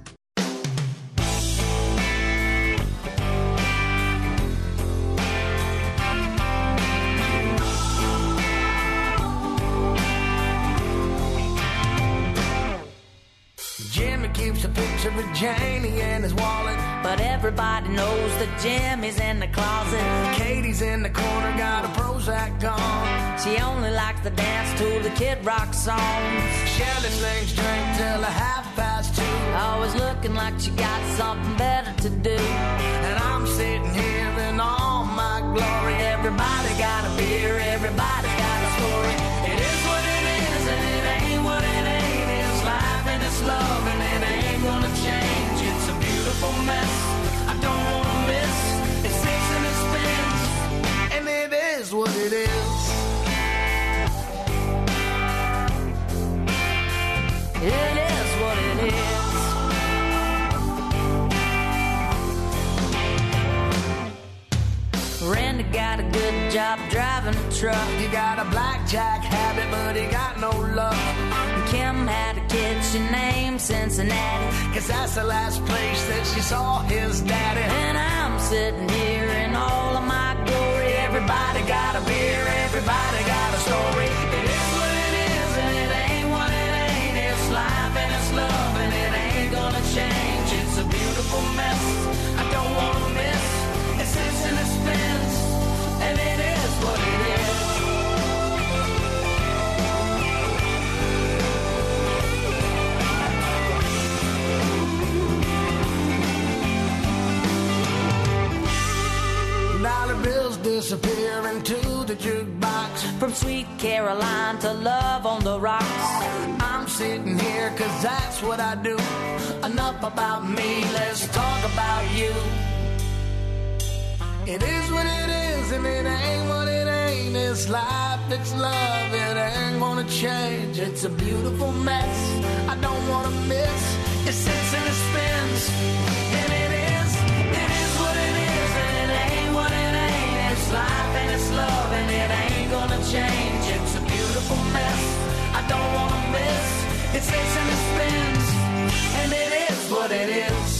Jimmy keeps a picture of Janie in his wallet. But everybody knows that Jimmy's in the closet. Katie's in the corner, got a Prozac gone. She only likes to dance to the Kid Rock songs. Shirley slings drink till a half past two. Always looking like she got something better to do. And I'm sitting here in all my glory. Everybody got a beer, everybody got a story. It is what it is and it ain't what it ain't. It's life and it's love and it ain't gonna change. It's a beautiful mess I don't wanna miss. It sits and it spins and it is what it is. It is what it is. Randy got a good job driving a truck. He got a blackjack habit, but he got no luck. Kim had a kid she named Cincinnati, 'cause that's the last place that she saw his daddy. And I'm sitting here in all of my glory. Everybody got a beer, everybody got a story. It is what it is and it ain't what it ain't. It's life and it's love and it ain't gonna change. It's a beautiful mess I don't wanna miss. It sits and it spins and it is what it is. Dollar bills disappear into the jukebox. From Sweet Caroline to Love on the Rocks. I'm sitting here 'cause that's what I do. Enough about me, let's talk about you. It is what it is and it ain't what it ain't. It's life, it's love, it ain't gonna change. It's a beautiful mess I don't wanna miss. It sits and it spins and it is, it is what it is and it ain't what it ain't. It's life and it's love and it ain't gonna change. It's a beautiful mess I don't wanna miss. It sits and it spins and it is what it is.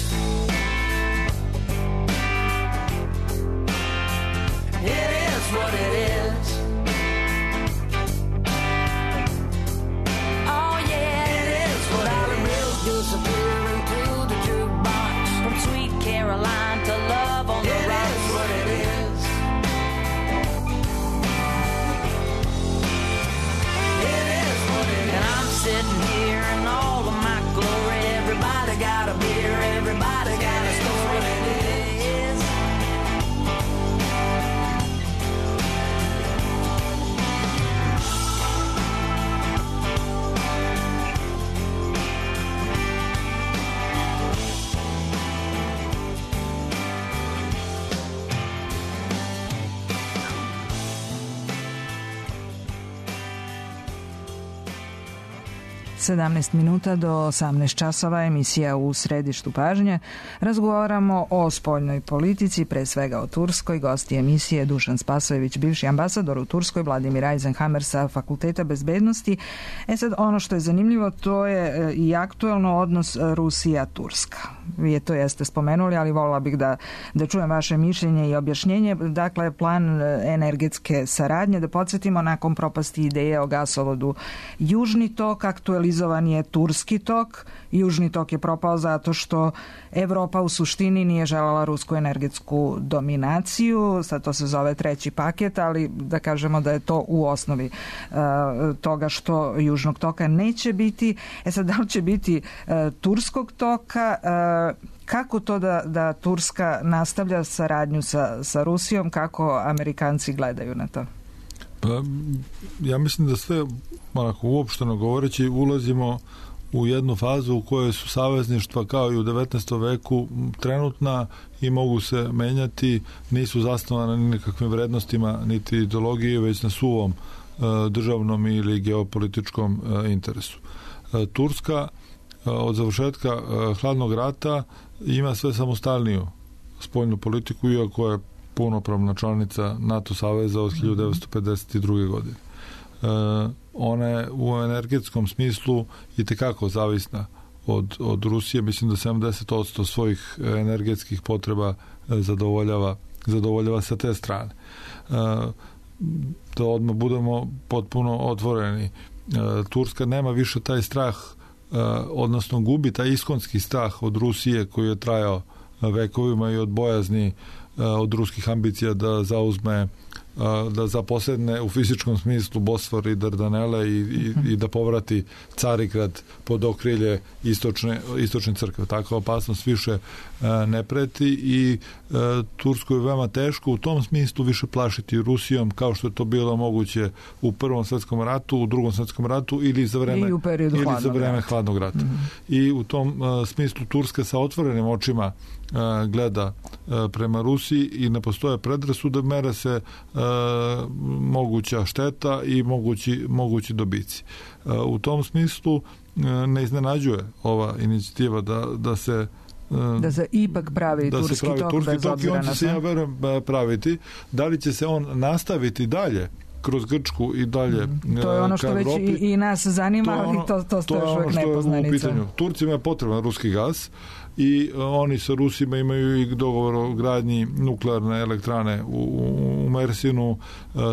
It is what it is. Oh yeah, it is what it is. Bills disappear into the jukebox. From Sweet Caroline to Love on the Rocks. It is what it is. It is what it is. And I'm sitting here in all of my glory. Everybody got a beer, everybody got a story. It is. sedamnaest minuta do osamnaest časova, emisija U središtu pažnje. Razgovaramo o spoljnoj politici, pre svega o Turskoj. Gosti emisije Dušan Spasojević, bivši ambasador u Turskoj, Vladimir Eisenhammer sa Fakulteta bezbednosti. E sad, ono što je zanimljivo, to je i aktuelno odnos Rusija-Turska. Vi je to jeste spomenuli, ali volila bih da, da čujem vaše mišljenje i objašnjenje. Dakle, plan energetske saradnje, da podsjetimo, nakon propasti ideje o gasovodu Južni tok, aktualizovan je Turski tok. Južni tok je propao zato što Evropa u suštini nije želela rusku energetsku dominaciju. Sad to se zove treći paket, ali da kažemo da je to u osnovi uh, toga što Južnog toka neće biti. E sad, da li će biti uh, Turskog toka? Uh, kako to da, da Turska nastavlja saradnju sa, sa Rusijom? Kako Amerikanci gledaju na to? Pa, ja mislim da sve, onako, uopšteno govoreći, ulazimo u jednu fazu u kojoj su savezništva kao i u devetnaestom veku trenutna i mogu se menjati, nisu zasnovane ni nekakvim vrednostima niti ideologije, već na suvom e, državnom ili geopolitičkom e, interesu. E, Turska e, od završetka e, hladnog rata ima sve samostalniju spoljnu politiku, iako je punopravna članica NATO saveza od hiljadu devetsto pedeset druge. godine. E, ona je u energetskom smislu i tekako zavisna od, od Rusije. Mislim da sedamdeset posto svojih energetskih potreba zadovoljava, zadovoljava sa te strane. E, da odmah budemo potpuno otvoreni. E, Turska nema više taj strah odnosno gubi taj iskonski strah od Rusije koji je trajao vekovima i od bojazni od ruskih ambicija da zauzme, da zaposedne u fizičkom smislu Bosfor i Dardanele i, i, i da povrati Carigrad pod okrilje istočne, istočne crkve. Takva opasnost više ne preti i Turskoj je veoma teško u tom smislu više plašiti Rusijom kao što je to bilo moguće u Prvom svetskom ratu, u Drugom svetskom ratu ili za vreme, ili za vreme hladnog rata. Mm-hmm. I u tom smislu Turska sa otvorenim očima gleda prema Rusiji i ne postoje predrasude, mere se moguća šteta i mogući, mogući dobici. U tom smislu ne iznenađuje ova inicijativa da, da se da se ipak pravi da turski se pravi tok turski bez tok i obzira on će na se, ja verujem, praviti. Da li će se on nastaviti dalje kroz Grčku i dalje mm. to je ono što već i, i nas zanima, ali to, to, to, to je ono što je u pitanju. Turcima je potreban ruski gas i oni sa Rusima imaju i dogovor o gradnji nuklearne elektrane u, u Mersinu,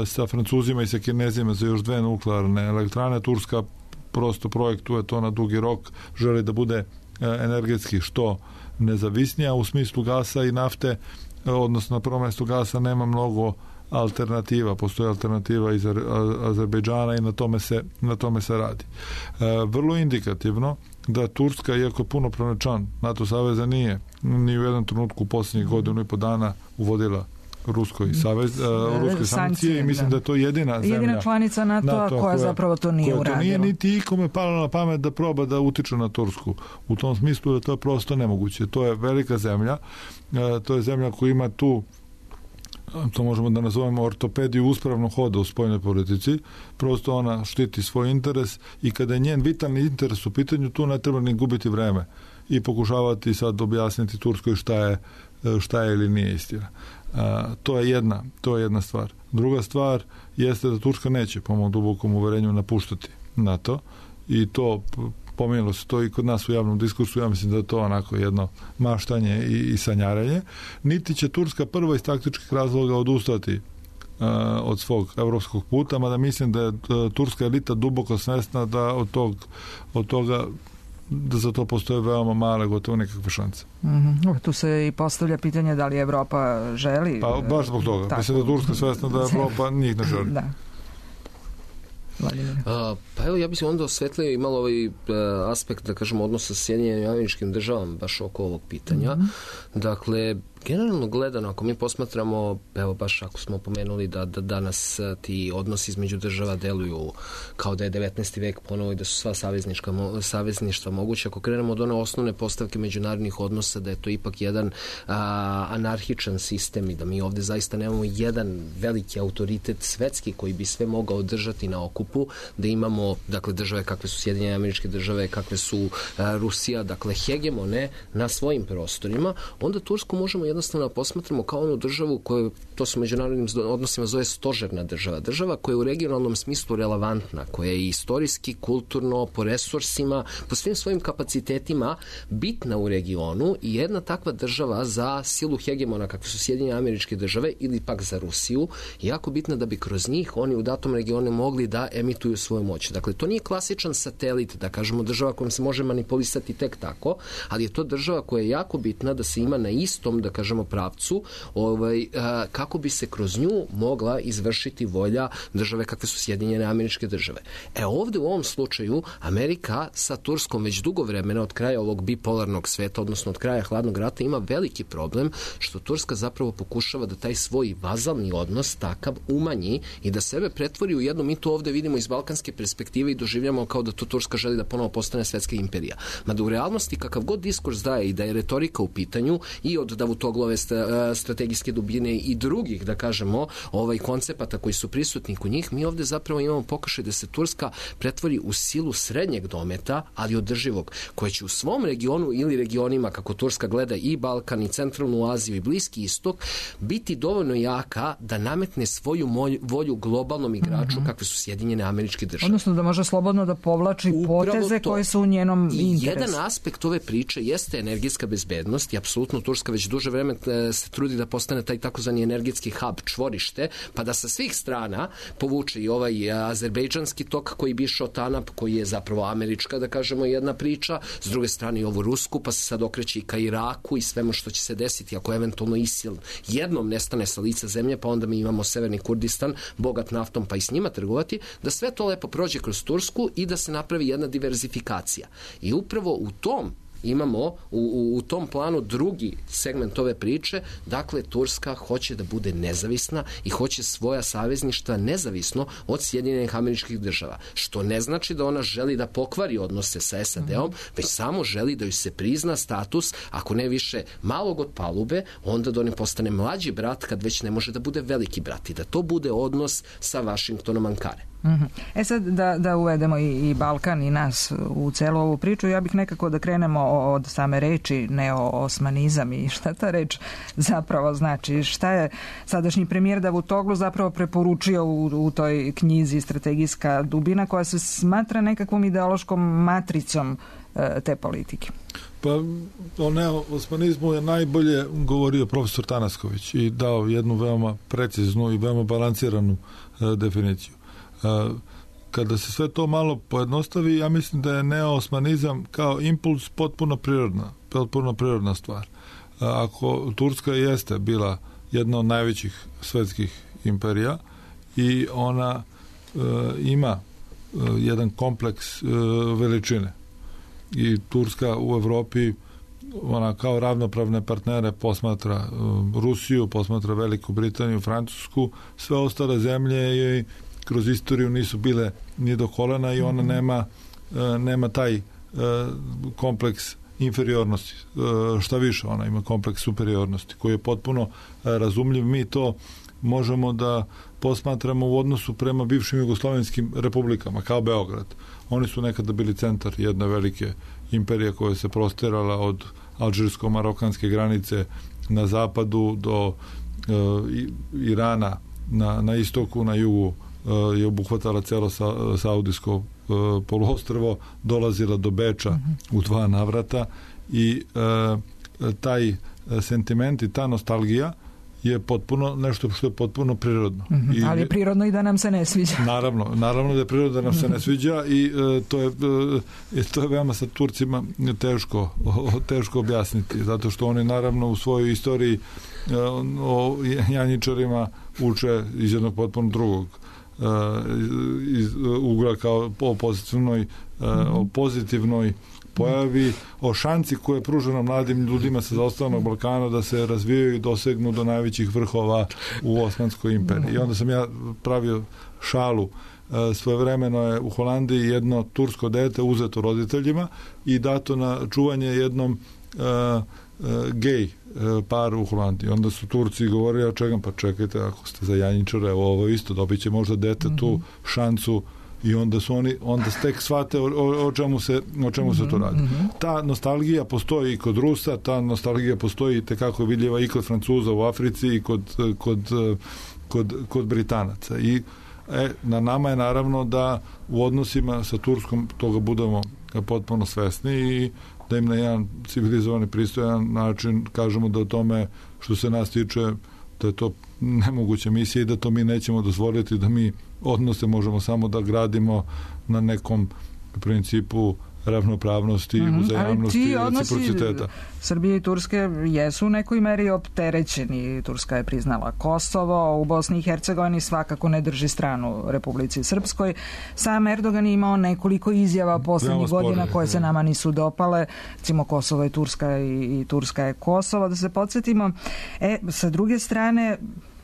sa Francuzima i sa Kinezima za još dve nuklearne elektrane. Turska prosto projektuje to na dugi rok, želi da bude energetski što nezavisnija u smislu gasa i nafte, odnosno na prvom mjestu gasa nema mnogo alternativa, postoji alternativa iz Azerbejdžana i na tome se, na tome se radi. E, vrlo indikativno da Turska, iako punopravni član NATO saveza, nije ni u jednom trenutku u posljednjih godinu i po dana uvodila Ruskoj savez, uh, ruske sankcije i mislim da. da je to jedina zemlja, jedina članica NATO-a NATO koja, koja zapravo to nije uradila. To nije niti ikome palo na pamet da proba da utiče na Tursku. U tom smislu da to je prosto nemoguće. To je velika zemlja, uh, to je zemlja koja ima tu, to možemo da nazovemo ortopediju uspravnog hoda u spoljnoj politici, prosto ona štiti svoj interes i kada je njen vitalni interes u pitanju, tu ne treba ni gubiti vreme i pokušavati sad objasniti Turskoj šta je, šta je ili nije istina. A, to je jedna, to je jedna stvar. Druga stvar jeste da Turska neće, po mom dubokom uverenju, napuštati NATO i to pomenulo se to i kod nas u javnom diskursu, ja mislim da je to onako jedno maštanje i, i sanjaranje. Niti će Turska prvo iz taktičkih razloga odustati uh, od svog evropskog puta, mada mislim da je uh, turska elita duboko svesna da od, tog, od toga da za to postoje veoma male, gotovo nekakve šanse. Mm-hmm. Tu se i postavlja pitanje da li Evropa želi... Pa baš zbog toga. Tako. Mislim da Turska svesna da Evropa njih ne želi. Da. A, pa evo, ja bih se onda osvetlio i malo ovaj uh, aspekt, da kažemo, odnosa sa Sjedinjenim Američkim Državama baš oko ovog pitanja. Mm-hmm. Dakle, generalno gledano, ako mi posmatramo, evo baš ako smo pomenuli da, da danas ti odnosi između država deluju kao da je devetnaesti vek ponovo i da su sva saveznička, savezništva moguće, ako krenemo od one osnovne postavke međunarodnih odnosa, da je to ipak jedan a, anarhičan sistem i da mi ovde zaista nemamo jedan veliki autoritet svetski koji bi sve mogao držati na okupu, da imamo, dakle, države kakve su Sjedinjene Američke Države, kakve su a, Rusija, dakle, hegemone na svojim prostorima, onda Tursku možemo jednostavno posmatramo kao onu državu koju, to su međunarodnim odnosima zove stožerna država. Država koja je u regionalnom smislu relevantna, koja je istorijski, kulturno, po resursima, po svim svojim kapacitetima bitna u regionu i jedna takva država za silu hegemona kakve su Sjedinjene Američke Države ili pak za Rusiju, jako bitna da bi kroz njih oni u datom regionu mogli da emituju svoju moć. Dakle, to nije klasičan satelit, da kažemo država kojom se može manipulisati tek tako, ali je to država koja je jako bitna da se ima na istom, da kažemo, pravcu, ovaj, a, kako bi se kroz nju mogla izvršiti volja države kakve su Sjedinjene Američke Države. E ovde u ovom slučaju Amerika sa Turskom već dugo vremena od kraja ovog bipolarnog sveta, odnosno od kraja hladnog rata, ima veliki problem što Turska zapravo pokušava da taj svoj vazalni odnos takav umanji i da sebe pretvori u jedno, mi to ovde vidimo iz balkanske perspektive i doživljamo kao da to Turska želi da ponovo postane svetska imperija. Mada u realnosti kakav god diskurs daje i da je retorika u pitanju i od Davutoglove strategijske dubine i drugih, da kažemo, ovaj koncepata koji su prisutni kod njih, mi ovde zapravo imamo pokušaj da se Turska pretvori u silu srednjeg dometa, ali održivog, koja će u svom regionu ili regionima, kako Turska gleda i Balkan i centralnu Aziju i Bliski istok, biti dovoljno jaka da nametne svoju volju globalnom igraču, mm-hmm. kakve su Sjedinjene Američke Države. Odnosno da može slobodno da povlači upravo poteze to. Koje su u njenom interesu. Jedan aspekt ove priče jeste energetska bezbednost i apsolutno Turska već duže vremena vreme se trudi da postane taj takozvani energetski hub, čvorište, pa da sa svih strana povuče i ovaj azerbejdžanski tok koji bi išao TANAP, koji je zapravo američka, da kažemo, jedna priča, s druge strane i ovu rusku, pa se sad okreće i ka Iraku i svemu što će se desiti ako eventualno ISIL jednom nestane sa lica zemlje, pa onda mi imamo severni Kurdistan, bogat naftom, pa i s njima trgovati, da sve to lepo prođe kroz Tursku i da se napravi jedna diverzifikacija. I upravo u tom imamo u, u, u tom planu drugi segment ove priče, dakle Turska hoće da bude nezavisna i hoće svoja savezništva nezavisno od Sjedinjenih Američkih Država, što ne znači da ona želi da pokvari odnose sa S A D-om, već samo želi da joj se prizna status, ako ne više malog od palube, onda da on postane mlađi brat kad već ne može da bude veliki brat i da to bude odnos sa Vašingtonom Ankare. Mm-hmm. E sad da, da uvedemo i, i Balkan i nas u celu ovu priču, ja bih nekako da krenemo od same reči neo-osmanizam i šta ta reč zapravo znači. Šta je sadašnji premijer Davutoglu zapravo preporučio u, u toj knjizi Strategijska dubina, koja se smatra nekakvom ideološkom matricom e, te politike? Pa o neo-osmanizmu je najbolje govorio profesor Tanasković i dao jednu veoma preciznu i veoma balansiranu e, definiciju. Kada se sve to malo pojednostavi, ja mislim da je neo-osmanizam kao impuls potpuno prirodna, potpuno prirodna stvar. Ako Turska jeste bila jedna od najvećih svetskih imperija i ona e, ima e, jedan kompleks e, veličine i Turska u Evropi ona kao ravnopravne partnere posmatra e, Rusiju, posmatra Veliku Britaniju, Francusku, sve ostale zemlje je kroz istoriju nisu bile ni do kolena i ona nema, nema taj kompleks inferiornosti. Šta više, ona ima kompleks superiornosti koji je potpuno razumljiv. Mi to možemo da posmatramo u odnosu prema bivšim jugoslovenskim republikama, kao Beograd. Oni su nekada bili centar jedne velike imperije koja se prostirala od alžirsko-marokanske granice na zapadu do Irana na, na istoku, na jugu je obuhvatala celo sa, saudijsko uh, poluostrvo, dolazila do Beča mm-hmm. u dva navrata i uh, taj sentiment i ta nostalgija je potpuno nešto što je potpuno prirodno. Mm-hmm. I, ali je prirodno i da nam se ne sviđa. Naravno, naravno da je prirodno da nam se ne sviđa i uh, to je uh, to je veoma sa Turcima teško, teško objasniti, zato što oni naravno u svojoj istoriji uh, o janjičarima uče iz jednog potpuno drugog iz ugla kao o pozitivnoj, o pozitivnoj pojavi, o šanci koje je pruženo mladim ljudima sa zaostalog Balkana da se razvijaju i dosegnu do najvećih vrhova u Osmanskoj imperiji. I onda sam ja pravio šalu. Svojevremeno je u Holandiji jedno tursko dete uzeto roditeljima i dato na čuvanje jednom uh, uh, gej par u Holandiji. Onda su Turci govorili, ja čekam, pa čekajte, ako ste za janjičare, ovo isto, dobit će možda dete mm-hmm. tu šansu i onda su oni, onda tek shvate o, o, o čemu se, o čemu mm-hmm. se to radi. Mm-hmm. Ta nostalgija postoji i kod Rusa, ta nostalgija postoji i tekako vidljiva i kod Francuza u Africi i kod, kod, kod, kod Britanaca. I e, na nama je naravno da u odnosima sa Turskom toga budemo potpuno svesni i da im na jedan civilizovani, pristojan način kažemo da o tome što se nas tiče da je to nemoguća misija i da to mi nećemo dozvoliti, da mi odnose možemo samo da gradimo na nekom principu ravnopravnosti, mm-hmm. uzajamnosti i reciprociteta. Srbije i Turske jesu u nekoj meri opterećeni. Turska je priznala Kosovo, u Bosni i Hercegovini svakako ne drži stranu Republici Srpskoj. Sam Erdogan je imao nekoliko izjava poslednjih godina koje se nama nisu dopale. Recimo Kosovo je Turska i, i Turska je Kosovo, da se podsjetimo. E, sa druge strane,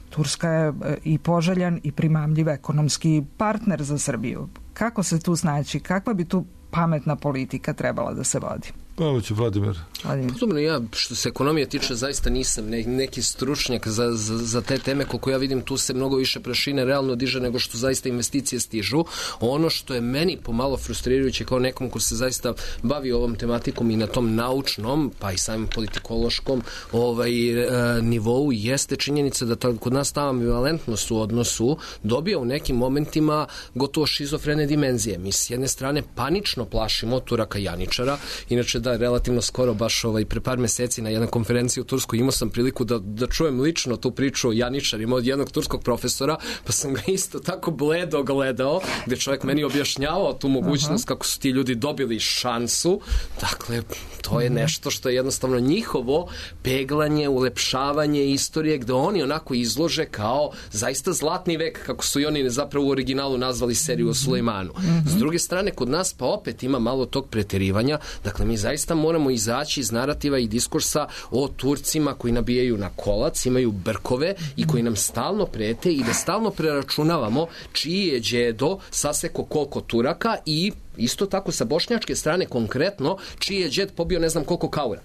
Turska je i poželjan i primamljiv ekonomski partner za Srbiju. Kako se tu snaći? Kakva bi tu pametna politika trebala da se vodi? Pa ovo će Vladimir. Vladimir. Podobno ja, što se ekonomije tiče, zaista nisam ne, neki stručnjak za, za, za te teme, koliko ja vidim tu se mnogo više prašine realno diže nego što zaista investicije stižu. Ono što je meni pomalo frustrirajuće kao nekom ko se zaista bavi ovom tematikom i na tom naučnom, pa i samim politikološkom ovaj, e, nivou, jeste činjenica da ta, kod nas ta ambivalentnost u odnosu dobija u nekim momentima gotovo šizofrene dimenzije. Mi s jedne strane panično plašimo Turaka Janičara, inače da, relativno skoro, baš ovaj, pre par meseci na jednoj konferenciji u Turskoj imao sam priliku da, da čujem lično tu priču o janičarima od jednog turskog profesora, pa sam ga isto tako bledo gledao, gde čovjek meni objašnjavao tu mogućnost kako su ti ljudi dobili šansu. Dakle, to je nešto što je jednostavno njihovo peglanje, ulepšavanje istorije, gde oni onako izlože kao zaista zlatni vek, kako su i oni zapravo u originalu nazvali seriju o Sulejmanu. S druge strane, kod nas pa opet ima malo tog preterivanja. Dakle, mi zaista moramo izaći iz narativa i diskursa o Turcima koji nabijaju na kolac, imaju brkove i koji nam stalno prete i da stalno preračunavamo čiji je đedo saseko koliko Turaka i isto tako sa bošnjačke strane konkretno čiji je đed pobio ne znam koliko kaura.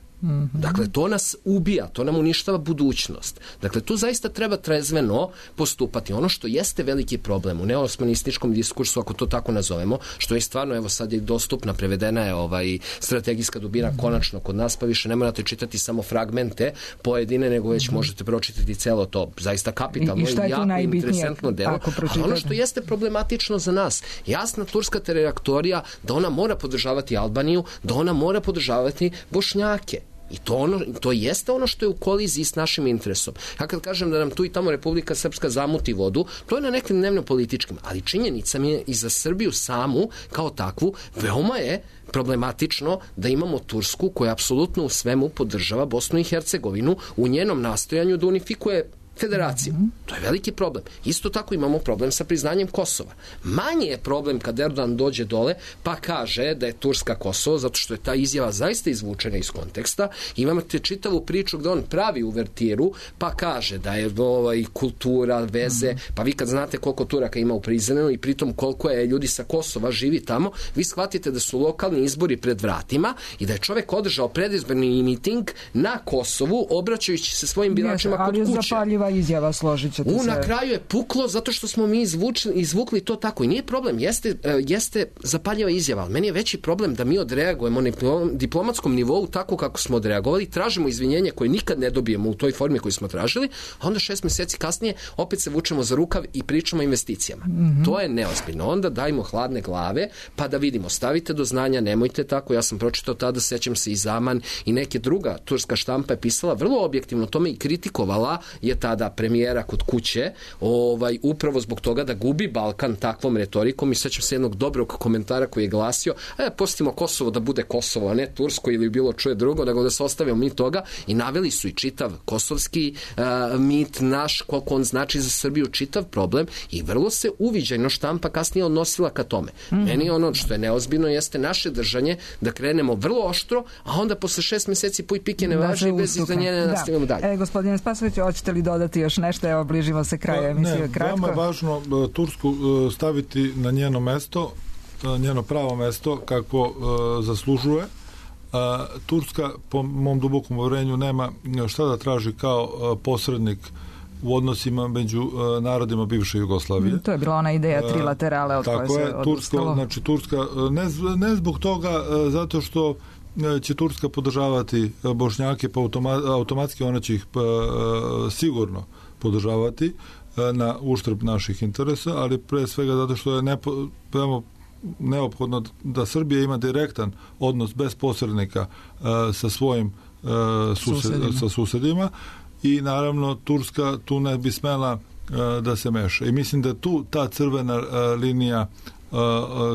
Dakle, to nas ubija, to nam uništava budućnost. Dakle, tu zaista treba trezveno postupati. Ono što jeste veliki problem u neosmanističkom diskursu, ako to tako nazovemo, što je stvarno, evo sad je dostupna, prevedena je ovaj strategijska dubina konačno kod nas, pa više ne morate čitati samo fragmente pojedine, nego već možete pročitati celo to, zaista kapitalno i, i jako interesantno delo. Ali ono što jeste problematično za nas, jasna turska trajektorija da ona mora podržavati Albaniju, da ona mora podržavati Bošnjake. I to, ono, to jeste ono što je u koliziji s našim interesom. Ja kad kažem da nam tu i tamo Republika Srpska zamuti vodu, to je na nekim dnevno-političkim, ali činjenica mi je i za Srbiju samu kao takvu, veoma je problematično da imamo Tursku koja apsolutno u svemu podržava Bosnu i Hercegovinu u njenom nastojanju da unifikuje federaciju. To je veliki problem. Isto tako imamo problem sa priznanjem Kosova. Manji je problem kad Erdogan dođe dole pa kaže da je Turska Kosovo, zato što je ta izjava zaista izvučena iz konteksta. Imate čitavu priču gde on pravi uvertiru pa kaže da je ovaj, kultura, veze, pa vi kad znate koliko Turaka ima u Prizrenu i pritom koliko je ljudi sa Kosova živi tamo, vi shvatite da su lokalni izbori pred vratima i da je čovek održao predizborni miting na Kosovu obraćajući se svojim biračima kod kuće. Izjava, složit ćete U, se. na kraju je puklo zato što smo mi izvučili, izvukli to tako i nije problem, jeste, jeste zapaljiva izjava, ali meni je veći problem da mi odreagujemo na diplomatskom nivou tako kako smo odreagovali, tražimo izvinjenje koje nikad ne dobijemo u toj formi koju smo tražili, a onda šest meseci kasnije opet se vučemo za rukav i pričamo o investicijama. Mm-hmm. To je neozbiljno. Onda dajmo hladne glave pa da vidimo, stavite do znanja, nemojte tako, ja sam pročitao tada, sećam se i Zaman i neke druga turska štampa je pisala vrlo objektivno tome i kritikovala je tada premijera kod kuće, ovaj, upravo zbog toga da gubi Balkan takvom retorikom i sećam se jednog dobrog komentara koji je glasio, e, pustimo Kosovo da bude Kosovo, a ne Tursko ili bilo čuje drugo, nego da se ostavimo mi toga i naveli su i čitav kosovski uh, mit naš, koliko on znači za Srbiju, čitav problem i vrlo se uviđajno štampa kasnije odnosila ka tome. Mm-hmm. Meni ono što je neozbiljno jeste naše držanje da krenemo vrlo oštro, a onda posle šest meseci puj pike ne važi i bez izdanjenja nastavimo dalje. E, gospodine Spasović, hoćete li dodati još nešto? Evo, bližimo se kraju emisije. Ne, kratko. veoma je važno Tursku staviti na njeno mesto, njeno pravo mesto kako uh, zaslužuje. Uh, Turska, po mom dubokom uvjerenju, nema šta da traži kao uh, posrednik u odnosima među uh, narodima bivše Jugoslavije. To je bila ona ideja trilaterale od koje se odustalo. Tursko, znači Turska, ne, ne zbog toga, uh, zato što će Turska podržavati Bošnjake, pa automa, automatski ona će ih pa, uh, sigurno podržavati na uštrb naših interesa, ali pre svega zato što je nepo, neophodno da Srbija ima direktan odnos bez posrednika uh, sa svojim uh, sused, susedima. sa susedima i naravno Turska tu ne bi smela uh, da se meša. I mislim da tu ta crvena uh, linija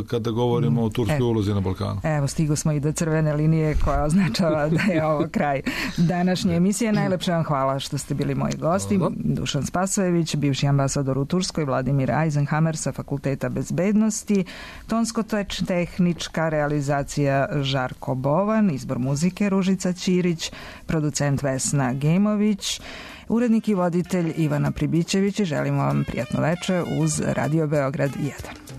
kada govorimo o turskoj evo, ulozi na Balkanu. Evo, stigo smo i do crvene linije koja označava da je ovo kraj današnje emisije. Najlepše vam hvala što ste bili moji gosti. Hvala. Dušan Spasojević, bivši ambasador u Turskoj, Vladimir Eisenhammer sa Fakulteta bezbednosti, tonsko-tehnička realizacija Žarko Bovan, izbor muzike Ružica Ćirić, producent Vesna Gemović, urednik i voditelj Ivana Pribićević i želimo vam prijatno veče uz Radio Beograd jedan.